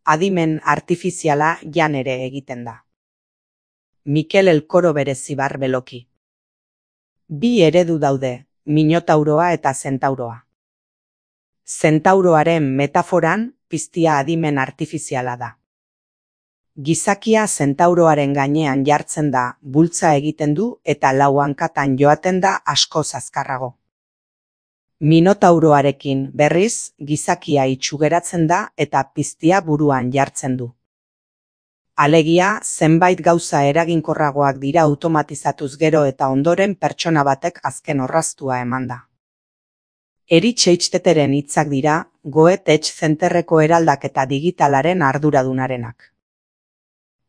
Adimen artifiziala jan ere egiten da. Mikel Elkoro Berezibar Beloki. Bi eredu daude, Minotauroa eta Zentauroa. Zentauroaren metaforan, piztia adimen artifiziala da. Gizakia zentauroaren gainean jartzen da, bultza egiten du eta lau hankatan joaten da askoz azkarrago. Minotauroarekin, berriz, gizakia itxugeratzen da eta piztia buruan jartzen du. Alegia, zenbait gauza eraginkorragoak dira automatizatuz gero eta ondoren pertsona batek azken orraztua eman da. Erich Eichteteren hitzak dira, Goethe Tech Centerreko eraldaketa digitalaren arduradunarenak.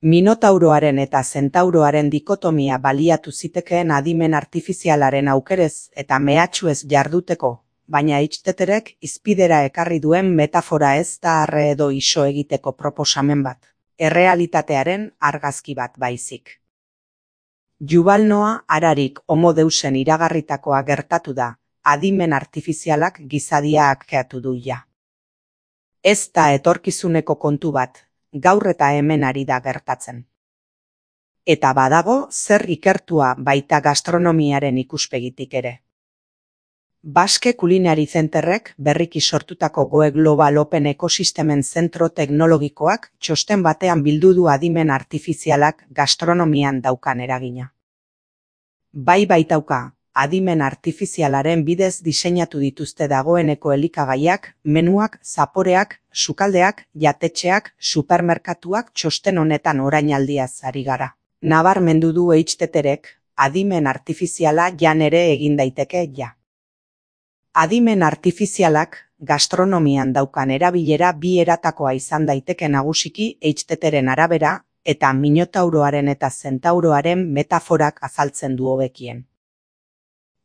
Minotauroaren eta zentauroaren dikotomia baliatu zitekeen adimen artifizialaren aukerez eta mehatxuez jarduteko, baina Eichtetterek hizpidera ekarri duen metafora ez da arre edo iso egiteko proposamen bat, errealitatearen argazki bat baizik. Yuval Noah Hararik Homo Deusen iragarritakoa gertatu da, adimen artifizialak gizadia hakkeatu du ja. Ez da etorkizuneko kontu bat, gaur eta hemen ari da gertatzen. Eta badago zer ikertua baita gastronomiaren ikuspegitik ere. Basque Culinary Centerrek berriki sortutako Goe Global Open Ekosistemen zentro teknologikoak txosten batean bildu du adimen artifizialak gastronomian daukan eragina. Bai baitauka, adimen artifizialaren bidez diseinatu dituzte dagoeneko elikagaiak, menuak, zaporeak, sukaldeak, jatetxeak, supermerkatuak txosten honetan orainaldiaz ari gara. Nabarmendu du Eichtetterek, adimen artifiziala jan ere egin daiteke ja. Adimen artifizialak gastronomian daukan erabilera bi eratakoa izan daiteke nagusiki Eichhtetteren arabera eta Minotauroaren eta Zentauroaren metaforak azaltzen du hobekien.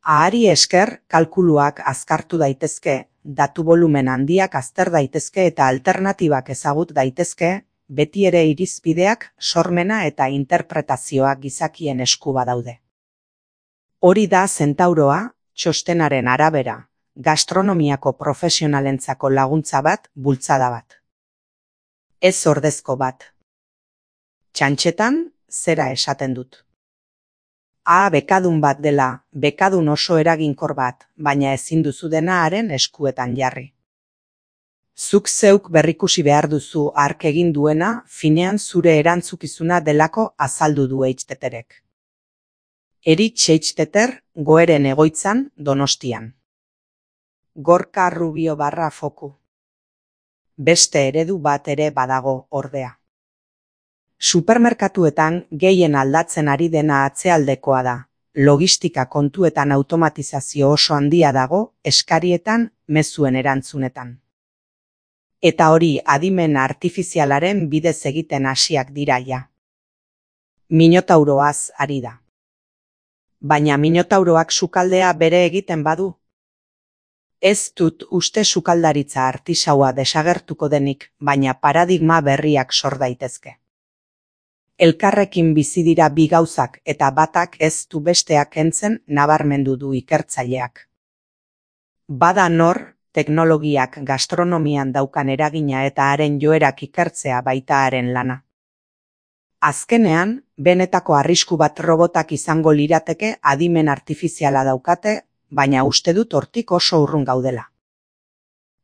Ahari esker, kalkuluak azkartu daitezke, datu volumen handiak azter daitezke eta alternatibak ezagut daitezke, beti ere irizpideak, sormena eta interpretazioa gizakien esku badaude. Hori da Zentauroa, txostenaren arabera, gastronomiako profesionalentzako laguntza bat, bultzada bat. Ez ordezko bat. Txantxetan, zera esaten dut. Bekadun bat dela, bekadun oso eraginkor bat, baina ezin duzu dena haren eskuetan jarri. Zuk zeuk berrikusi behar duzu hark egin duena, finean zure erantzukizuna delako azaldu du Eichtetterek. Erich Eichstetter, Goeren egoitzan, Donostian. Gorka Rubio /foku. Beste eredu bat ere badago, ordea. Supermerkatuetan gehien aldatzen ari dena atzealdekoa da. Logistika kontuetan automatizazio oso handia dago, eskarietan, mezuen erantzunetan. Eta hori adimen artifizialaren bidez egiten hasiak dira ja. Minotauroaz ari da. Baina Minotauroak sukaldea bere egiten badu. Ez dut uste sukaldaritza artisaua desagertuko denik, baina paradigma berriak sor daitezke. Elkarrekin bizi dira bi gauzak eta batak ez du besteak kentzen nabarmendu du ikertzaileak. Bada nor, teknologiak gastronomian daukan eragina eta haren joerak ikertzea baita haren lana. Azkenean, benetako arrisku bat robotak izango lirateke adimen artifiziala daukate, baina uste dut hortik oso urrun gaudela.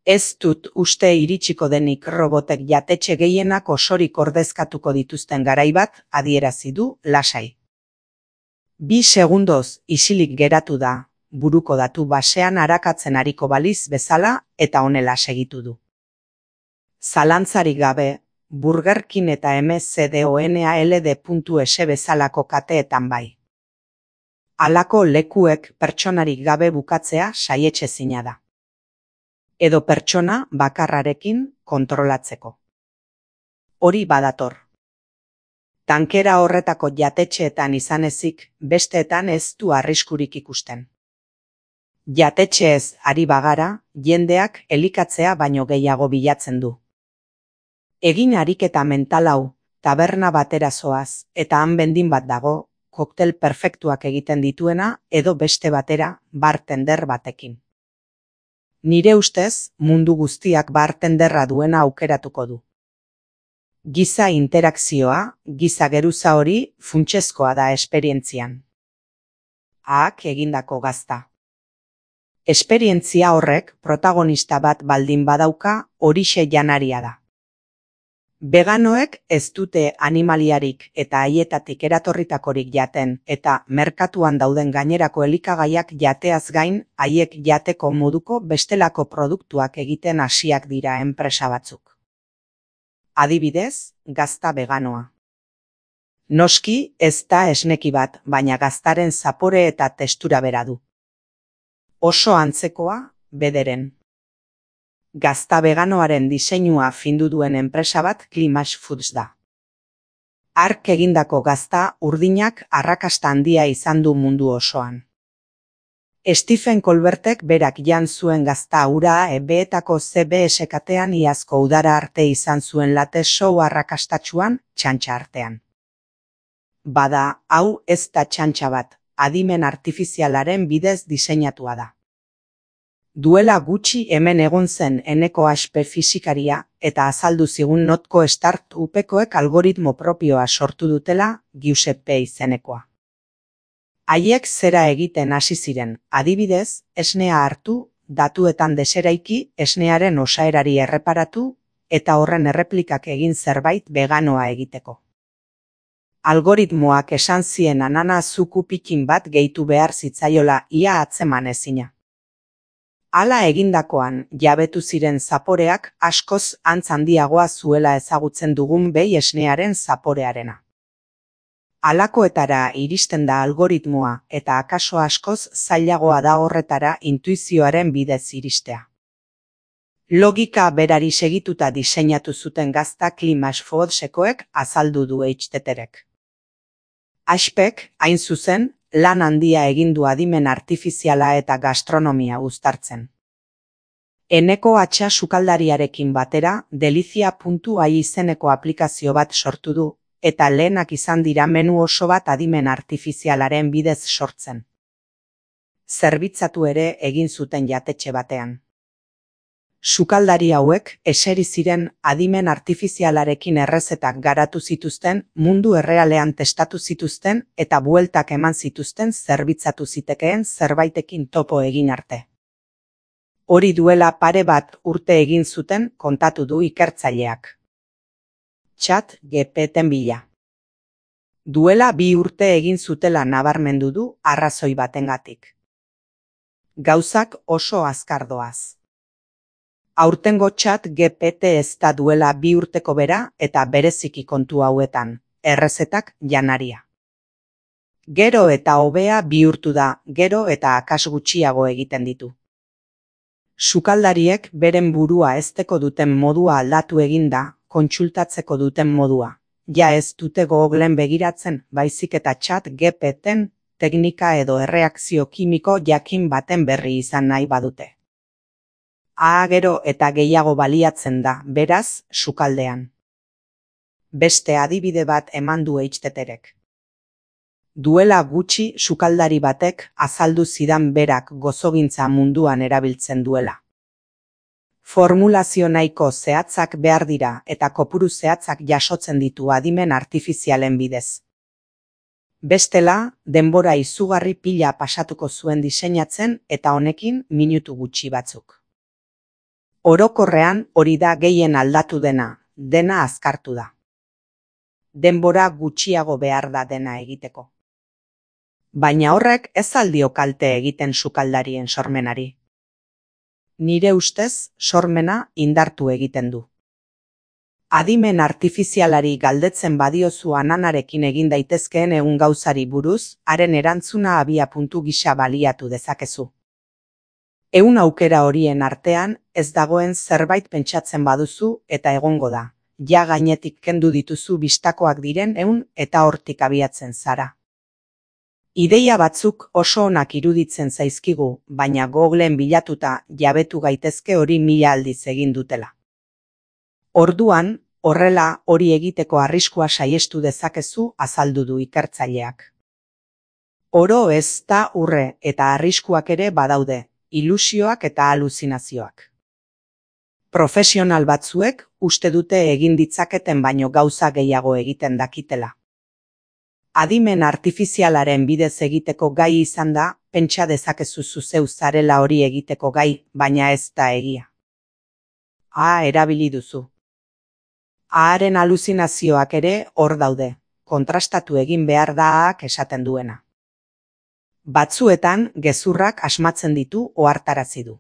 Ez dut uste iritsiko denik robotek jatetxe gehienak osorik ordezkatuko dituzten garai bat adierazi du lasai. 2 segundoz isilik geratu da, buruko datu basean arakatzen ariko baliz bezala eta honela segitu du. Zalantzarik gabe, Burger King eta McDonald's bezalako kateetan bai. Halako lekuek pertsonarik gabe bukatzea saietsezina da. Edo pertsona bakarrarekin kontrolatzeko. Hori badator. Tankera horretako jatetxeetan izan ezik, besteetan ez du arriskurik ikusten. Jatetxeez ari bagara, jendeak elikatzea baino gehiago bilatzen du. Egin ariketa mental hau, taberna batera zoaz, eta han bendin bat dago, koktel perfektuak egiten dituena, edo beste batera, bartender batekin. Nire ustez, mundu guztiak bartenderra duena aukeratuko du. Giza interakzioa, giza geruza hori funtsezkoa da esperientzian. Ahak egindako gazta. Esperientzia horrek protagonista bat baldin badauka, horixe janaria da. Veganoek ez dute animaliarik eta haietatik eratorritakorik jaten eta merkatuan dauden gainerako elikagaiak jateaz gain haiek jateko moduko bestelako produktuak egiten hasiak dira enpresa batzuk. Adibidez, gazta veganoa. Noski ez da esneki bat, baina gaztaren zapore eta testura bera du. Oso antzekoa, bederen. Gazta veganoaren diseinua findu duen enpresa bat Climax Foods da. Hark egindako gazta urdinak arrakasta handia izan du mundu osoan. Stephen Colbertek berak jan zuen gazta hura EBetako CBS katean iazko udara arte izan zuen late show arrakastatsuan txantxa artean. Bada, hau ez da txantxa bat, adimen artifizialaren bidez diseinatua da. Duela gutxi hemen egon zen Eneko Aspe fisikaria eta azaldu zigun notko start-upekoek algoritmo propioa sortu dutela Giuseppe izenekoa. Haiek zera egiten hasi ziren, adibidez, esnea hartu, datuetan deseraiki, esnearen osaerari erreparatu eta horren erreplikak egin zerbait veganoa egiteko. Algoritmoak esan zien anana zuku pikin bat gehitu behar zitzaiola ia atzeman ezina. Hala egindakoan, jabetu ziren zaporeak askoz antz handiagoa zuela ezagutzen dugun behi esnearen zaporearena. Halakoetara iristen da algoritmoa eta akaso askoz zailagoa da horretara intuizioaren bidez iristea. Logika berari segituta diseinatu zuten gazta Climax Foodsekoek azaldu du HTTrek. Aspek, hain zuzen, lan handia egin du adimen artifiziala eta gastronomia uztartzen. Eneko Atxa sukaldariarekin batera delizia.ai izeneko aplikazio bat sortu du, eta lehenak izan dira menu oso bat adimen artifizialaren bidez sortzen. Zerbitzatu ere egin zuten jatetxe batean. Sukaldari hauek eseri ziren adimen artifizialarekin errezetak garatu zituzten, mundu errealean testatu zituzten eta bueltak eman zituzten zerbitzatu zitekeen zerbaitekin topo egin arte. Hori duela pare bat urte egin zuten kontatu du ikertzaileak. ChatGPTen bila. Duela 2 urte egin zutela nabarmendu du arrazoi batengatik. Gauzak oso azkar doaz. Aurtengo ChatGPT ez da duela 2 urteko bera eta bereziki kontu hauetan, errezetak janaria. Gero eta hobea bihurtu da, gero eta akas gutxiago egiten ditu. Sukaldariek beren burua hezteko duten modua aldatu eginda, kontsultatzeko duten modua. Ja ez dute Googlen begiratzen, baizik eta ChatGPTen teknika edo erreakzio kimiko jakin baten berri izan nahi badute. Gero eta gehiago baliatzen da, beraz, sukaldean. Beste adibide bat eman du HTTrek. Duela gutxi sukaldari batek azaldu zidan berak gozogintza munduan erabiltzen duela. Formulazio nahiko zehatzak behar dira eta kopuru zehatzak jasotzen ditu adimen artifizialen bidez. Bestela, denbora izugarri pila pasatuko zuen diseinatzen eta honekin minutu gutxi batzuk. Orokorrean hori da gehien aldatu dena azkartu da. Denbora gutxiago behar da dena egiteko. Baina horrek ez aldio kalte egiten sukaldarien sormenari. Nire ustez, sormena indartu egiten du. Adimen artifizialari galdetzen badiozu ananarekin egin daitezkeen egun gauzari buruz, haren erantzuna abiapuntu gisa baliatu dezakezu. 100 aukera horien artean ez dagoen zerbait pentsatzen baduzu eta egongo da. Ja gainetik kendu dituzu bistakoak diren 100 eta hortik abiatzen zara. Ideia batzuk oso onak iruditzen zaizkigu, baina Googlen bilatuta jabetu gaitezke hori 1000 aldiz egin dutela. Orduan, horrela hori egiteko arriskua saiestu dezakezu azaldu du ikertzaileak. Oro ez da urre eta arriskuak ere badaude, ilusioak eta aluzinazioak. Profesional batzuek uste dute egin ditzaketen baino gauza gehiago egiten dakitela. Adimen artifizialaren bidez egiteko gai izan da, pentsa dezakezu zeu zarela hori egiteko gai, baina ez da egia. Erabili duzu. Aharen aluzinazioak ere hor daude, kontrastatu egin behar daak esaten duena. Batzuetan gezurrak asmatzen ditu ohartarazi du.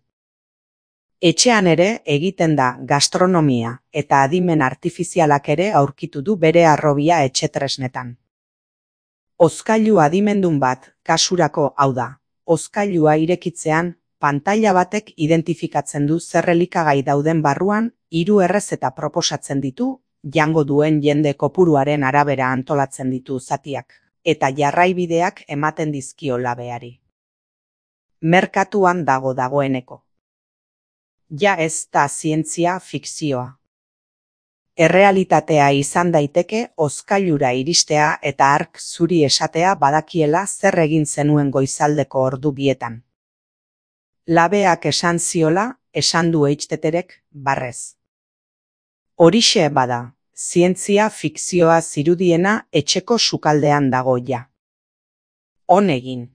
Etxean ere egiten da gastronomia eta adimen artifizialak ere aurkitu du bere harrobia etxetresnetan. Hozkailu adimendun bat, kasurako hau da, hozkailua irekitzean, pantaila batek identifikatzen du zer elikagai dauden barruan, 3 errezeta proposatzen ditu, jango duen jende kopuruaren arabera antolatzen ditu zatiak, eta jarraibideak ematen dizkio labeari. Merkatuan dagoeneko. Ja ez da zientzia fikzioa. Errealitatea izan daiteke hozkailura iristea eta hark zuri esatea badakiela zer egin zenuen goizaldeko ordu bietan. Labeak esan ziola, esan du Eitsteterek, barrez. Horixe bada, zientzia fikzioa zirudiena etxeko sukaldean dago ja. On egin.